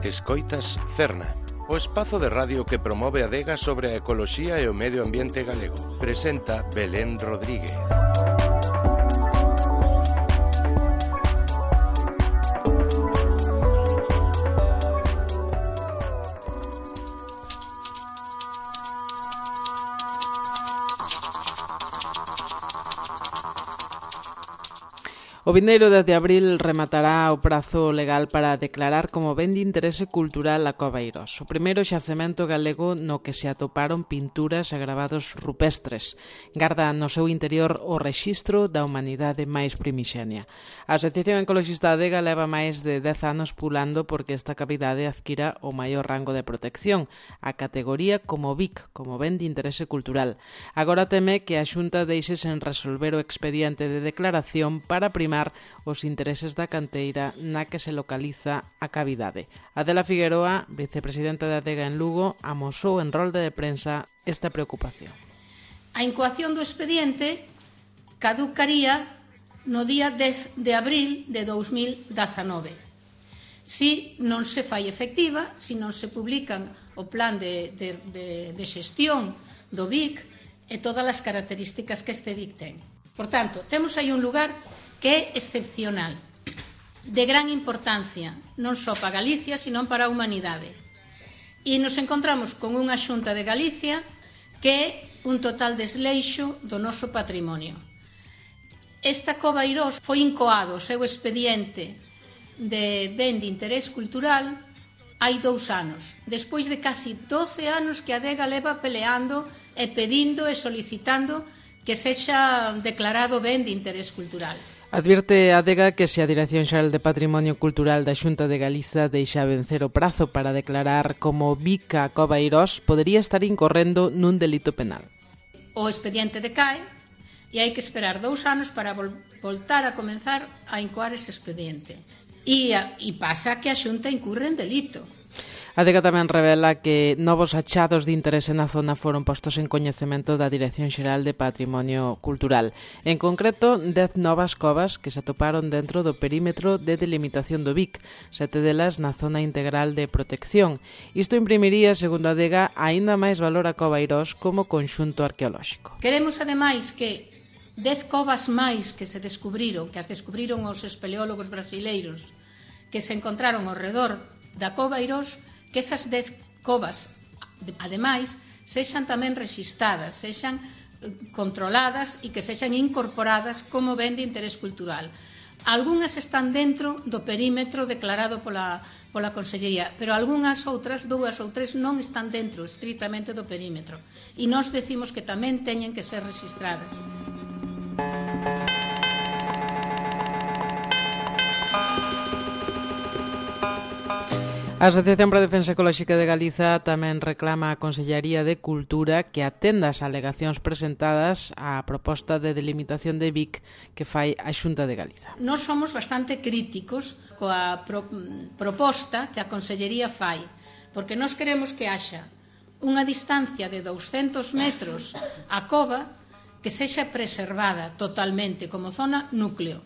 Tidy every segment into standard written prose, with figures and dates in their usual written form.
Escoitas Cerna, o espazo de radio que promove a adega sobre a ecoloxía e o medio ambiente galego. Presenta Belén Rodríguez. O vindeiro 10 de abril rematará o prazo legal para declarar como ben de interese cultural a Cova Eirós, o primeiro xacemento galego no que se atoparon pinturas e gravados rupestres. Garda no seu interior o rexistro da humanidade máis primixenia. A Asociación Ecoloxista Adega leva máis de 10 anos pulando porque esta cavidade adquira o maior rango de protección, a categoría como BIC, como ben de interese cultural. Agora teme que a Xunta deixe sen resolver o expediente de declaración para primar os intereses da canteira na que se localiza a cavidade. Adela Figueroa, vicepresidenta da Adega en Lugo, amosou en rolda de prensa esta preocupación. A incoación do expediente caducaría no día 10 de abril de 2019. Si non se fai efectiva, si non se publican o plan de xestión do BIC e todas as características que este BIC ten. Por tanto, temos aí un lugar que é excepcional, de gran importancia, non só para Galicia, sino para a humanidade. E nos encontramos con unha Xunta de Galicia que é un total desleixo do noso patrimonio. Esta Cova Eirós foi incoado o seu expediente de ben de interés cultural hai 2 anos, despois de casi 12 anos que a Adega leva peleando e pedindo e solicitando que sexa declarado ben de interés cultural. Advierte a Adega que se a Dirección Xeral de Patrimonio Cultural da Xunta de Galiza deixa vencer o prazo para declarar como BIC a Cova Eirós, podería estar incorrendo nun delito penal. O expediente decae e hai que esperar 2 anos para voltar a comenzar a incoar ese expediente. E pasa que a Xunta incurre en delito. A Adega tamén revela que novos achados de interese na zona foron postos en coñecemento da Dirección Xeral de Patrimonio Cultural. En concreto, 10 novas covas que se atoparon dentro do perímetro de delimitación do BIC, 7 delas na zona integral de protección. Isto imprimiría, segundo a Adega, aínda máis valor a Cova Eirós como conxunto arqueolóxico. Queremos, ademais, que 10 covas máis que se descubriron, que as descubriron os espeleólogos brasileiros, que se encontraron ao redor da Cova Eirós, que esas 10 covas, ademais, sexan tamén rexistradas, sexan controladas e que sexan incorporadas como ben de interés cultural. Algúnas están dentro do perímetro declarado pola Consellería, pero algunhas outras, 2 ou 3, non están dentro estritamente do perímetro. E nós decimos que tamén teñen que ser rexistradas. A Asociación para a Defensa Ecolóxica de Galiza tamén reclama a Consellería de Cultura que atenda as alegacións presentadas á proposta de delimitación de BIC que fai a Xunta de Galiza. Nós somos bastante críticos coa proposta que a Consellería fai, porque nós queremos que haxa unha distancia de 200 metros a cova que sexa preservada totalmente como zona núcleo.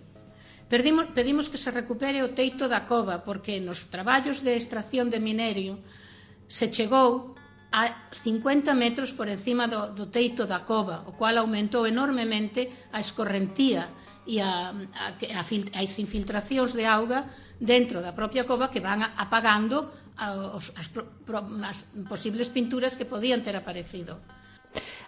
Pedimos que se recupere o teito da cova porque nos traballos de extracción de minerio se chegou a 50 metros por encima do teito da cova, o cual aumentou enormemente a escorrentía e as infiltracións de auga dentro da propia cova que van apagando as posibles pinturas que podían ter aparecido.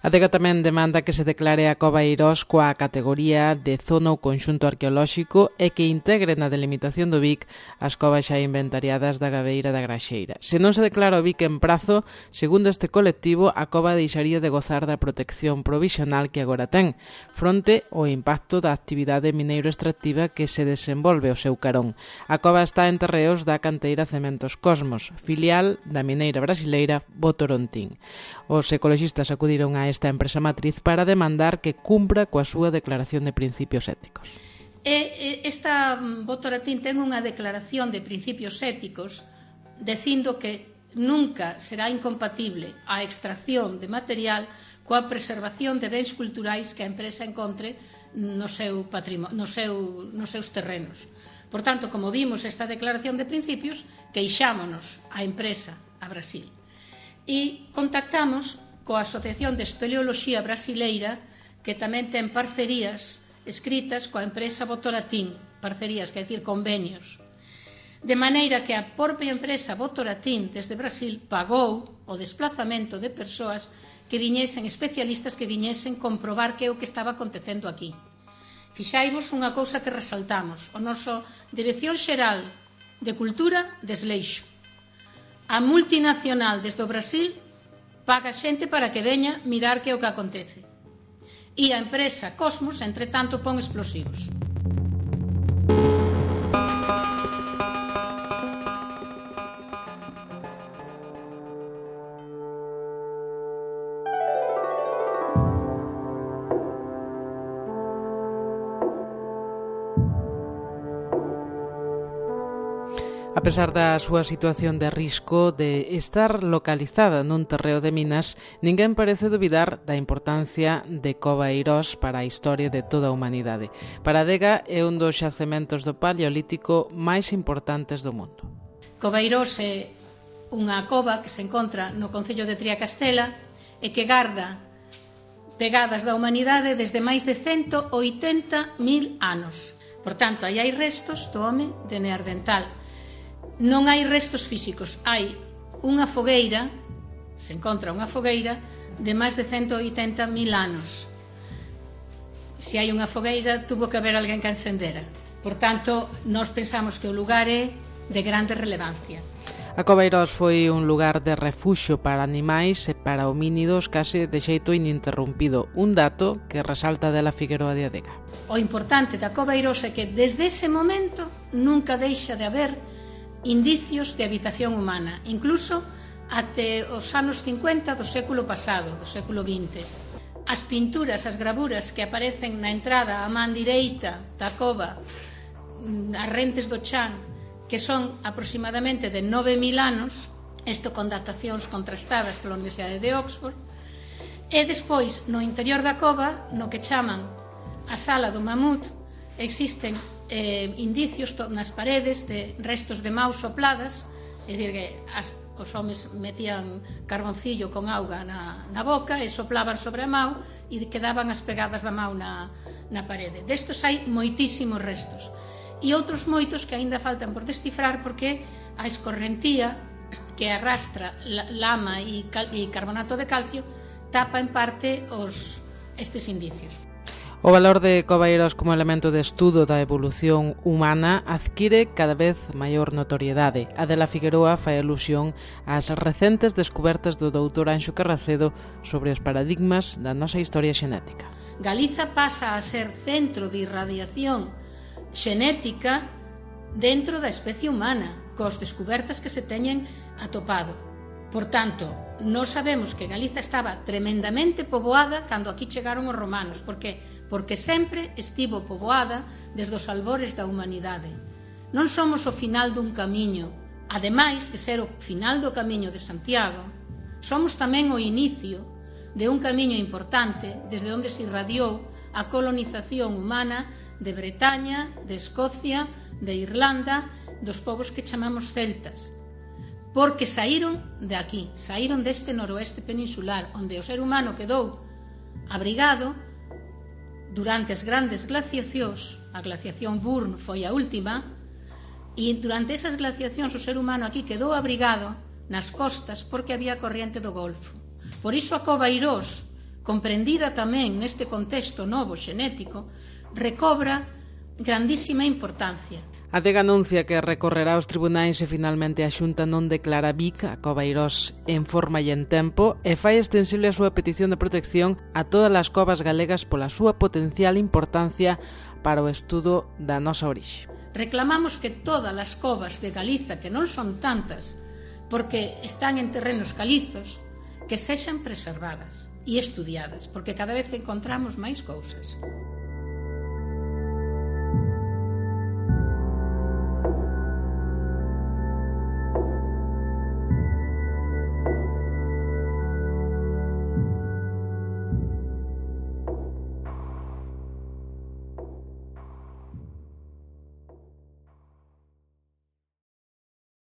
A Adega tamén demanda que se declare a Cova Eirós coa categoría de zona ou conxunto arqueolóxico e que integre na delimitación do BIC as covas xa inventariadas da Gabeira da Graxeira. Se non se declara o BIC en prazo, segundo este colectivo, a cova deixaría de gozar da protección provisional que agora ten, fronte ao impacto da actividade mineiro extractiva que se desenvolve ao seu carón. A cova está en terreos da canteira Cementos Cosmos, filial da mineira brasileira Votorantim. Os ecoloxistas acudiron a esta empresa matriz para demandar que cumpra coa súa declaración de principios éticos. Esta Votorantim ten unha declaración de principios éticos dicindo que nunca será incompatible a extracción de material coa preservación de bens culturais que a empresa encontre nos seus terrenos. Por tanto, como vimos esta declaración de principios, queixámonos a empresa a Brasil e contactamos coa Asociación de Espeleoloxía Brasileira, que tamén ten parcerías escritas coa empresa Votorantim, parcerías, quer dicir, convenios. De maneira que a propia empresa Votorantim desde Brasil pagou o desplazamento de persoas que viñesen, especialistas que viñesen comprobar que é o que estaba acontecendo aquí. Fixaivos unha cousa que resaltamos: o noso Dirección Xeral de Cultura desleixo. A multinacional desde o Brasil paga xente para que veña mirar que é o que acontece. E a empresa Cosmos, entre tanto, pon explosivos. A pesar da súa situación de risco de estar localizada nun terreo de minas, ninguén parece duvidar da importancia de Coveiros para a historia de toda a humanidade. Para a adega é un dos xacementos do Paleolítico máis importantes do mundo. Coveiros é unha cova que se encontra no concello de Triacastela e que garda pegadas da humanidade desde máis de 180.000 anos. Por tanto, aí hai restos do home de Neandertal. Non hai restos físicos, hai unha fogueira, se encontra unha fogueira de máis de 180.000 anos. Se hai unha fogueira, tuvo que haber alguén que a encendera. Por tanto, nós pensamos que o lugar é de grande relevancia. A Coveiros foi un lugar de refuxio para animais e para homínidos case de xeito ininterrumpido, un dato que resalta dela Figueroa de Adega. O importante da Coveiros é que desde ese momento nunca deixa de haber indicios de habitación humana, incluso até os anos 50 do século pasado, do século XX. As pinturas, as gravuras que aparecen na entrada á man direita da cova, as rentes do chan, que son aproximadamente de 9.000 anos, isto con datacións contrastadas pola Universidade de Oxford, e despois, no interior da cova, no que chaman a Sala do Mamut, existen indicios nas paredes de restos de maus sopladas, é dicir que os homes metían carboncillo con auga na boca e soplaban sobre a mau e quedaban as pegadas da mau na parede. Destos hai moitísimos restos e outros moitos que aínda faltan por descifrar, porque a escorrentía que arrastra lama e carbonato de calcio tapa en parte estes indicios. O valor de Coveiros como elemento de estudo da evolución humana adquire cada vez maior notoriedade. Adela Figueroa fai alusión ás recentes descubertas do doutor Anxo Carracedo sobre os paradigmas da nosa historia xenética. Galiza pasa a ser centro de irradiación xenética dentro da especie humana, cos descubertas que se teñen atopado. Por tanto, nós sabemos que Galiza estaba tremendamente poboada cando aquí chegaron os romanos, porque sempre estivo poboada desde os albores da humanidade. Non somos o final dun camiño, ademais de ser o final do camiño de Santiago, somos tamén o inicio de un camiño importante desde onde se irradiou a colonización humana de Bretaña, de Escocia, de Irlanda, dos povos que chamamos celtas, porque saíron de aquí, saíron deste noroeste peninsular, onde o ser humano quedou abrigado durante as grandes glaciacións. A glaciación Burn foi a última, e durante esas glaciacións o ser humano aquí quedou abrigado nas costas porque había corriente do Golfo. Por iso a Coveiros, comprendida tamén neste contexto novo xenético, recobra grandísima importancia. A adega anuncia que recorrerá aos tribunais e finalmente a Xunta non declara BIC a Coveiros en forma e en tempo e fai extensible a súa petición de protección a todas as covas galegas pola súa potencial importancia para o estudo da nosa orixe. Reclamamos que todas as covas de Galiza, que non son tantas, porque están en terrenos calizos, que sexan preservadas e estudiadas, porque cada vez encontramos máis cousas.